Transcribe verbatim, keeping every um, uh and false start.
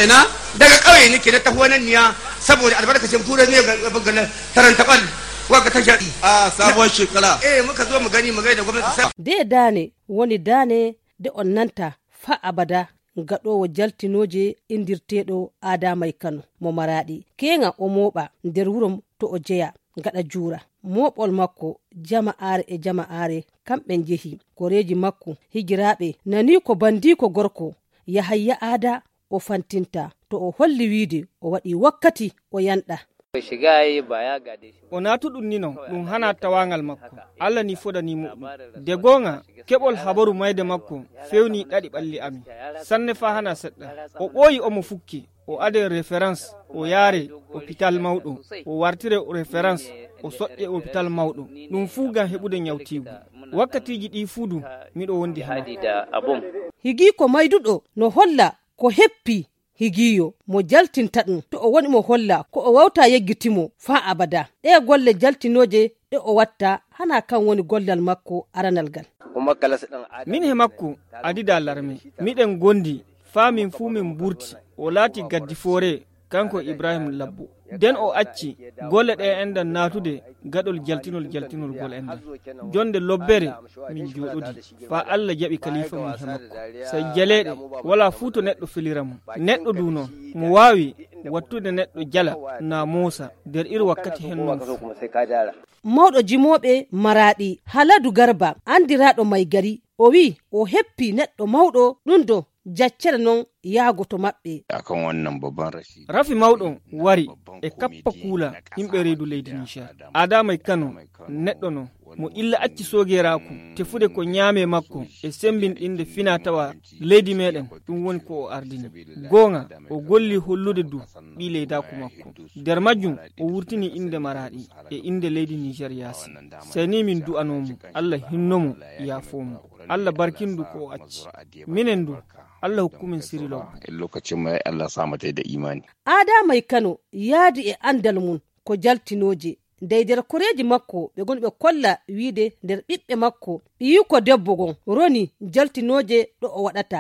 ina daga kauye nake na tafi nan niya saboda albarkacin fura ne ga bangana taranta kwal waka ta jadi a sabon shekara eh muka zo mu gani mu ga da gwamnati sai de dane woni dane de onnanta fa abada gaɗowo jaltinoje indirteɗo Adamay Kano mo Maradi kenga o moɓa nder wuro to o jeya gaɗa juura moɓol makko jama'are e jama'are kamɓe jehi koreji makko higiraɓe nani ko bandiko gorko Yahaya Ada o fantinta to o holli wiide o waɗi wakkati o yanɗa o natuɗum ni non ɗum hana tawangal makko Allah ni fodanimo ɗum de gonga keɓol habaru mayde makko fewni ɗaɗi ɓalli ami sanne fa hana seɗɗa o ɓooyi omo fukki o ade référence o yaare hôpital mawɗo o wartire référence o soƴƴe hôpital mawɗo ɗum fuu gam heɓude nyawtigu wakkatiji ɗi fuudu miɗo wondi hana higi ko mayduɗo no holla ko heppi higiyo mo jaltinta ɗum to o woni mo holla ko o wawta yeggitimo fa abada ɗe golle jaltinoje ɗe o watta hana kan woni gollal makko aranal gal min he makko adida larme miɗen gondi fa min fuu min burti o laati gaddi foore kanko Ibrahim Labbo den o acci golle ɗe enɗan natude gaɗol jaltinol jaltinol gol enɗan jonde lobbere min joɗodi fa Allah jaɓi kalifa mum he makko so jaleɗe wala fuu to neɗɗo feliramo neɗɗo du noon mo wawi wattude neɗɗo jala na Musa nder iri wakkati hen noon mawɗo jimoɓe Maradi Haladu Garba andiraɗo May Gari o wi o heppi neɗɗo mawɗo ɗum do jaccere non yaago to maɓɓe akan wannan babban rashi rafi mawɗo wari e kappa kuula yimɓe reedu leydi Niger Adamay Kano neɗɗo no mo illa acci sogeraku tefude ko ñaame makko e sembinɗinde fina tawa leydi meɗen ɗum woni ko o ardini gonga o golli hollude du ɓi leydaku makko nder majjum o wurtini inde Maradi e inde leydi Niger yaasi seni min du'anomo Allah hinnomo yaafomo Allah barkindu ko o acci minen du Allah hukkumin sirilo lokacin mai Allah sa mata da imani Adamay Kano yaadi e andal mun ko jaltinoje dey nder koreji makko ɓe goni ɓe kolla wiide nder ɓiɓɓe makko ɓiyi ko debbo gon roni jaltinoje ɗo o waɗata